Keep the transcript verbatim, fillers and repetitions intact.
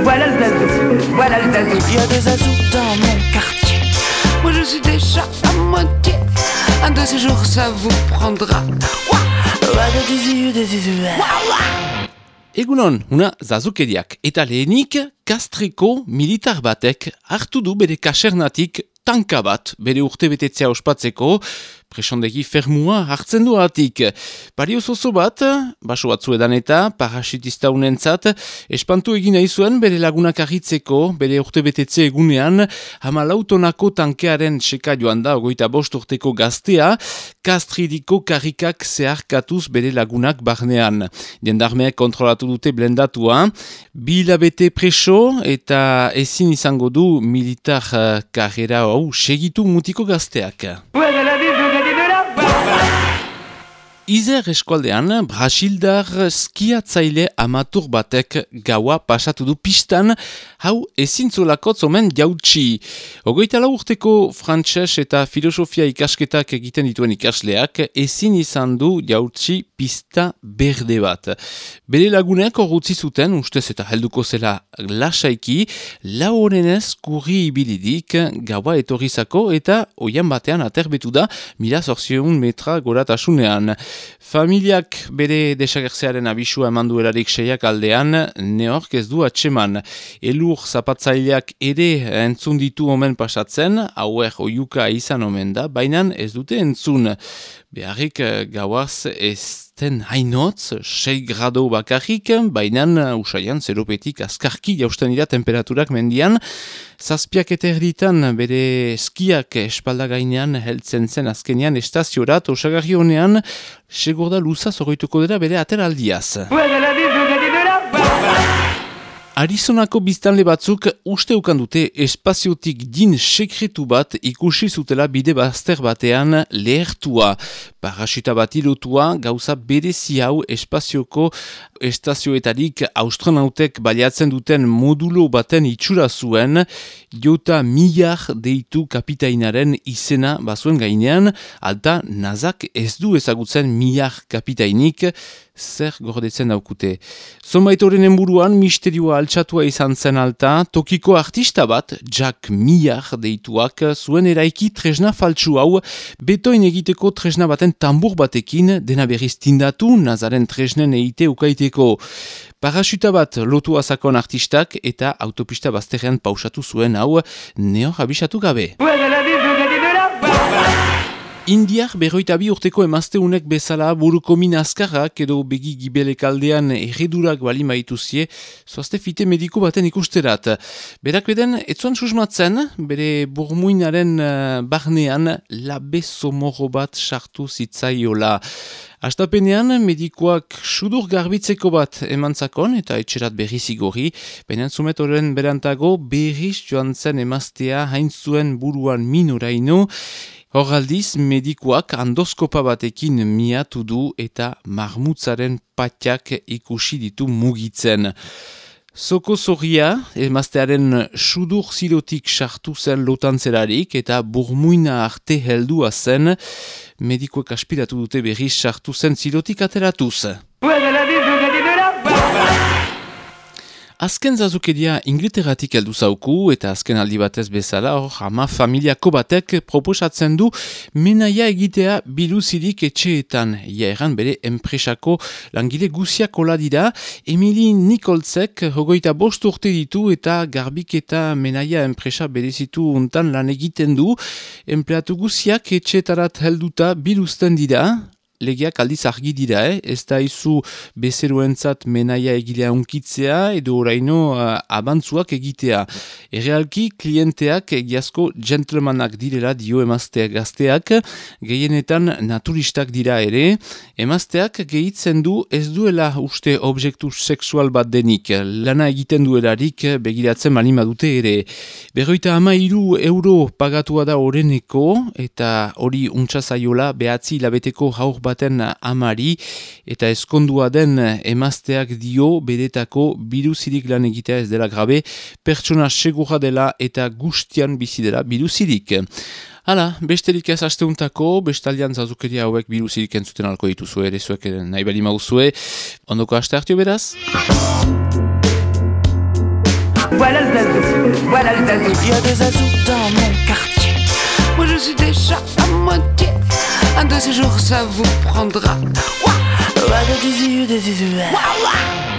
Voilà le zazou, voilà le zazou. Il y a des zazous dans mon quartier. Moi je suis déjà à moitié. Un de ces jours ça vous prendra. Egunon, una zazukeriak eta lehenik Kastreko militar batek hartu du bere kasernatik tanka bat bere urtebetetzea ospatzeko, presondegi fermua hartzen du atik. Pario zozo bat, baso batzuedan eta parasitista unentzat, espantu egin nahi zuen bere lagunak ahitzeko, bere urtebetetze egunean, hamalautonako tankearen seka joan da, ogoita bost urteko gaztea, Kastridiko karrikak zeharkatuz bere lagunak barnean. Jendarmeek kontrolatu dute blendatua, bi hilabete preso eta ezin izango du militar uh, karrera hau segitu mutiko gazteak. Izer eskualdean, Brasildar skiatzaile amatur batek gaua pasatu du pistan, hau ezintzolakotz omen jautsi. Ogoita lau urteko frantses eta filosofia ikasketak egiten dituen ikasleak, ezin izan du jautsi pista berde bat. Bere lagunek horretzi zuten, ustez eta helduko zela lasaiki, lau honenez kurri ibilidik gaua etorrizako eta oian batean aterbetu da mila zortziehun metra goratasunean. Familiak bere desagertzearen abisua eman duelarik seiak aldean, neork ez du atseman. Elur zapatzaileak ere entzun ditu omen pasatzen, hauer oiuka izan omen da, baina ez dute entzun. Beharrik gauaz ez den hainotz, sei grado bakarrik, baina usaian zeropetik azkarki jausten dira temperaturak mendian. Zazpiak eta erditan bere skiak espalda gainean heltzen zen azkenean estaziorat, osagarri honean, segurda luza zorroituko dira bere ateraldiaz. Arizonako biztanle batzuk usteukan dute espaziotik din sekretu bat ikusi zutela bide bazter batean lehertua. Parasita bat ilotua gauza berezi hau espazioko estazioetarik astronautek baliatzen duten modulo baten itxura zuen, jota millar deitu kapitainaren izena bazuen gainean, alta nazak ez du ezagutzen millar kapitainik, zer gordetzen daukute. Zonbait horren buruan misterioa altxatua izan zen alta, tokiko artista bat, Jack Millar deituak, zuen eraiki tresna faltsu hau, betoin egiteko tresna baten tambur batekin, dena berriz tindatu, nazaren tresnen eite ukaiteko. Parasuta bat lotu azakon artistak eta autopista bazterrean pausatu zuen hau, neor abisatu gabe. Indiar berroita bi urteko emazteunek bezala buruko min azkarrak edo begi gibelek aldean erredurak bali maituzie, zoazte fite mediko baten ikusterat. Berak beden, etzuan susmatzen, bere burmuinaren uh, barnean labe somorro bat sartu zitzaiola. Astapenean, medikoak sudur garbitzeko bat emantzakon eta etxerat berri zigorri, baina zumet horren berantago berriz joan zen emaztea hain zuen buruan minoraino. Hor aldiz, medikoak andoskopa batekin miatu du eta marmutzaren patiak ikusi ditu mugitzen. Zoko zorria, emaztearen sudur zilotik sartu zen lotantzerarik eta burmuina arte heldua zen, medikoek aspiratu dute berriz sartu zen zilotik ateratuz. Azken zazukeria Inglaterratik heldu zauku eta azken aldi batez bezala hor ama familiako batek proposatzen du menaia egitea biluzirik etxeetan. Ia erran bere enpresako langile guziak hola dira, Emily Nicholsek hogeita bost urte ditu eta garbik eta menaia enpresa berezitu untan lan egiten du. Empleatu guziak etxeetarat helduta biluzten dira. Legeak aldiz argi dira, eh? Ez da izu bezeroentzat menaia egilea unkitzea edo oraino uh, abantzuak egitea. Errealki, klienteak egiazko gentlemanak direla dio emazteak gazteak, gehienetan naturistak dira ere. Emazteak gehitzen du ez duela uste objektu sexual bat denik, lana egiten duelarik begiratzen malima dute ere. Berroita ama hiru euro pagatua da oreneko eta hori untsa zaiola behatzi hilabeteko haur baten amari eta ezkondua den emazteak dio beretako biluzirik lan egitea ez dela grabe, pertsona segura dela eta gustian bizi dela biluzirik. Hala, besterik ez asteuntako, bestaldean zazukeria hauek biluzirik entzuten alko dituzu ere, zuek nahi bali mauzue, ondoko aste hartio beraz? Voilà le zazou, voilà le zazou. Il y a des azous dans mon quartier. Moi je suis déjà à moitié. Un de ces jours ça vous prendra. Ouah, ouah, des zizous, des zizous. Ouah, ouah.